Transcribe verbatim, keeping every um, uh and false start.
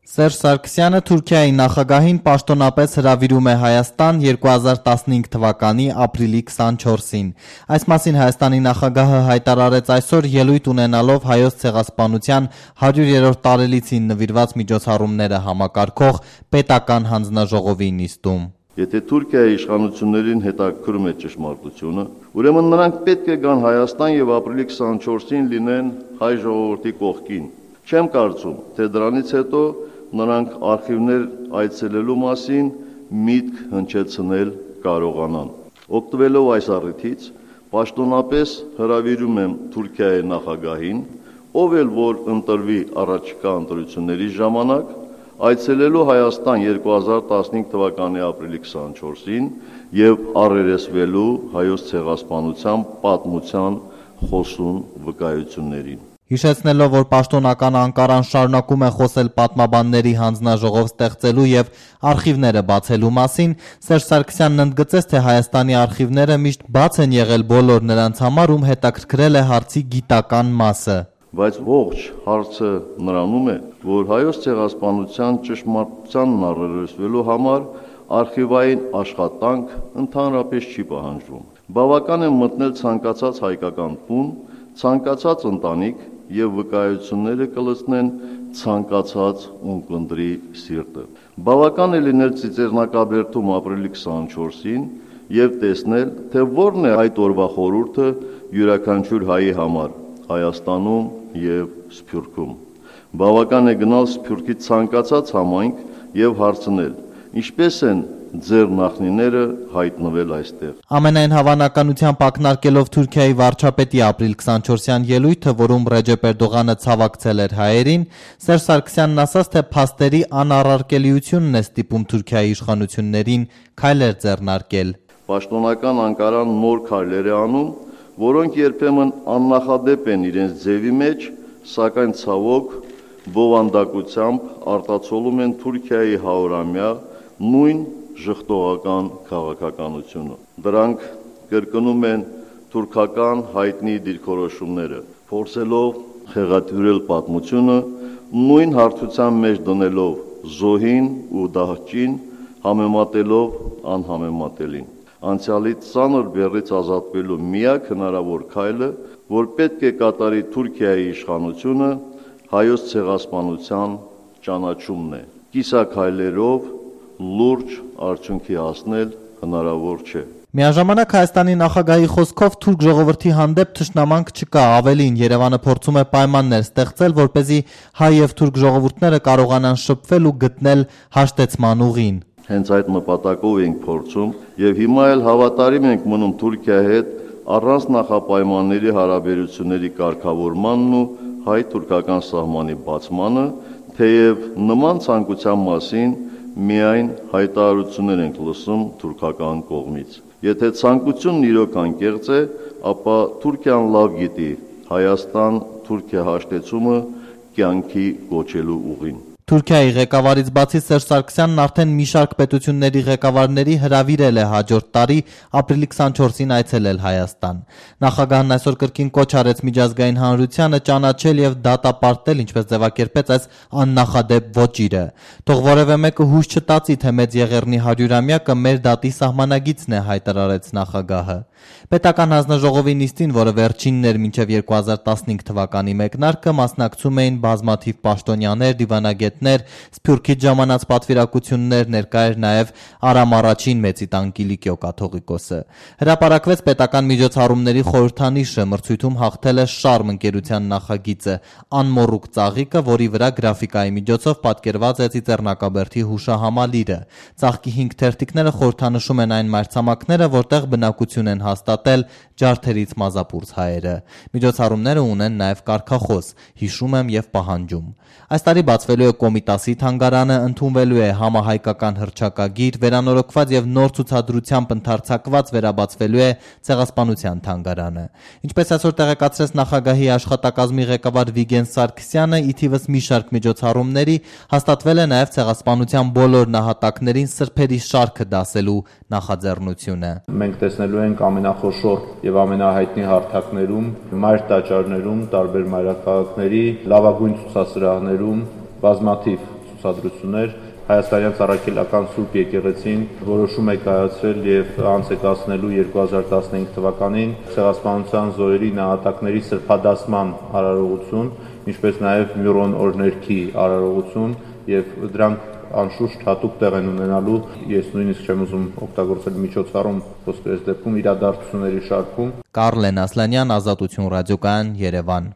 Սերժ Սարգսյանը Թուրքիայի նախագահին պաշտոնապես հրավիրում է Հայաստան երկու հազար տասնհինգ թվականի ապրիլի քսանչորսին։ Այս մասին Հայաստանի նախագահը հայտարարեց այսօր ելույթ ունենալով Հայոց ցեղասպանության հարյուրերորդ տարելիցին նվիրված միջոցառումները համակարգող պետական հանձնաժողովի նիստում։ Եթե Թուրքիայի իշխանություններին հետաքրքրում է ճշմարտությունը, ուրեմն նրանք պետք է գան Հայաստան եւ ապրիլի քսանչորսին լինեն հայ ժողովրդի կողքին։ Չեմ կարծում, թե դրանից հետո նրանք արխիվներ այցելելու մասին միտք հնչեցնել կարողանան։ Օգտվելով այս առիթից, պաշտոնապես հրավիրում եմ Թուրքիայի նախագահին, ով էլ որ ընտրվի առաջիկա ընտրությունների ժամանակ, այցելելու Հայաստան երկու հազար տասնհինգ թվականի ապրիլի քսանչորսին եւ առերեսվելու Հայոց ցեղասպանության պատմության խոսուն վկայություններին։ Հիշեցնելով, որ պաշտոնական Անկարան շարունակում է խոսել պատմաբանների հանձնաժողով ստեղծելու եւ արխիվները բացելու մասին, Սերժ Սարգսյանն ընդգծեց, թե Հայաստանի արխիվները միշտ բաց են եղել բոլոր նրանց համար, ում հետաքրքրել է հարցի գիտական մասը։ Բայց ողջ հարցը նրանում է, որ Հայոց ցեղասպանության ճշմարտությանն առերեսվելու համար արխիվային աշխատանք ընդհանրապես չի պահանջվում։ Բավական է մտնել ցանկացած հայկական տուն, ցանկացած ընտանիք եւ վկայությունները կլցնեն ցանկացած ունկնդրի սիրտը։ Բավական է լինել Ծիծեռնակաբերդում ապրիլի քսանչորսին եւ տեսնել, թե որն է այդ օրվա խորհուրդը յուրաքանչյուր հայի համար Հայաստանում եւ Սփյուռքում։ Բավական է գնալ Սփյուռքի ցանկացած համայնք եւ հարցնել, ինչպես են ձեր նախնիները հայտնվել այստեղ։ Ամենայն հավանականությամբ ակնարկելով Թուրքիայի վարչապետի ապրիլ քսանչորսյան ելույթը, որում Ռեջեփ Էրդողանը ցավակցել էր հայերին, Սերժ Սարգսյանն ասաց, թե փաստերի անառարկելիությունն է ստիպում Թուրքիայի իշխանություններին քայլեր ձեռնարկել։ Պաշտոնական Անկարան նոր քայլեր է անում, որոնք երբեմն աննախադեպ են իրենց ձևի մեջ, սակայն ցավոք բովանդակությամբ արտացոլում են Թուրքիայի հարյուրամյա նույն ժխտողական քաղաքականությունը։ Դրանք կրկնում են թուրքական հայտնի դիրքորոշումները, փորձելով խեղաթյուրել պատմությունը, նույն հարթության մեջ դնելով զոհին ու դահճին, համեմատելով անհամեմատելին։ Անցյալի ծանր բեռից ազատվելու միակ հնարավոր քայլը, որ պետք է կատարի Թուրքիայի իշխանությունը, Հայոց ցեղասպանության ճանաչումն է։ Կիսաքայլերով լուրջ արդյունքի հասնել հնարավոր չէ։ Միաժամանակ Հայաստանի նախագահի խոսքով թուրք ժողովրդի հանդեպ թշնամանք չկա, ավելին Երևանը փորձում է պայմաններ ստեղծել, որպեսզի հայ եւ թուրք ժողովուրդները կարողանան շփվել ու գտնել հաշտեցման ուղին։ Հենց այդ նպատակով ենք փորձում եւ հիմա էլ հավատարիմ ենք մնում Թուրքիայի հետ առանց նախապայմանների հարաբերությունների կարգավորմանն ու հայ-թուրքական սահմանի բացմանը, թեև նման ցանկության մասին միայն հայտարարություններ ենք լսում թուրքական կողմից։ Եթե ցանկությունն իրոք անկեղծ է, ապա Թուրքիան լավ գիտի Հայաստան-Թուրքիա հաշտեցումը կյանքի կոչելու ուղին։ Թուրքիայի ղեկավարից բացի Սերժ Սարգսյանն արդեն մի շարք պետությունների ղեկավարների հրավիրել է հաջորդ տարի ապրիլի քսանչորսին այցելել Հայաստան։ Նախագահն այսօր կրկին կոչ արեց միջազգային հանրությանը ճանաչել եւ դատապարտել, ինչպես ձևակերպեց այս աննախադեպ ոճիրը։ Թող որևէ մեկը հույս չտածի, թե Մեծ Եղեռնի հարյուրամյակը մեր դատի սահմանագիծն է, հայտարարեց նախագահը։ Պետական հանձնաժողովի նիստին, որը վերջինն էր մինչև երկու հազար տասնհինգ թվականի մեկնարկը, մասնակցում էին բազմաթիվ պաշտոնյաներ, դիվանագետներ, Սփյուռքից ժամանած պատվիրակություններ, ներկա էր նաև Արամ առաջին Մեծի տան Կիլիկիո կաթողիկոսը։ Հրապարակվեց պետական միջոցառումների խորհրդանիշը, մրցույթում հաղթել է Շարմ ընկերության նախագիծը, անմոռուկ ծաղիկը, որի վրա գրաֆիկայի միջոցով պատկերված է Ծիծեռնակաբերդի հուշահամալիրը։ Ծաղկի հինգ թերթիկները խորհրդանշում են այն մայրցամաքները, որտեղ բնակություն են հաստատել ջարդերից մազապուրց հայերը։ Միջոցառումները ունեն նաև կարգախոս՝ հիշում եմ եւ պահանջում։ Այս տարի բացվելու է Կոմիտասի թանգարանը, ընդունվելու է համահայկական հռչակագիր, վերանորոգված եւ նոր ցուցադրությամբ ընդարձակված վերաբացվելու է Ցեղասպանության թանգարանը։ Ինչպես այսօր տեղեկացրեց նախագահի աշխատակազմի ղեկավար Վիգեն Սարգսյանը, ի թիվս մի շարք միջոցառումների հաստատվել է նաև Ցեղասպանության բոլոր նահատակներին սրբերի շարքը դասելու նախաձեռնությունը։ Մենք տեսնելու ենք ամենախոշոր եւ ամենահայտնի հարթակներում, մայր տաճարներում, տարբեր մայրաքաղաքների լավագույն ցուցասրահներում բազմաթիվ ցուցադրություններ, Հայաստանյան Ծառայքելական Սուրբ եկեղեցին որոշում է կայացրել եւ անց է կացնելու երկու հազար տասնհինգ թվականին ցեղասպանության զոհերի նահատակների սրբադասման արարողություն, ինչպես նաեւ Մյուրոն օրհներքի արարողություն եւ դրանք անշուշտ հատուկ տեղ են ունենալու, ես նույնիսկ չեմ ուզում օգտագործել միջոցառում, ոսկե այս դեպքում իրադարձությունների շարքում։ Կարլեն Ասլանյան, Ազատություն ռադիոկայան, Երևան։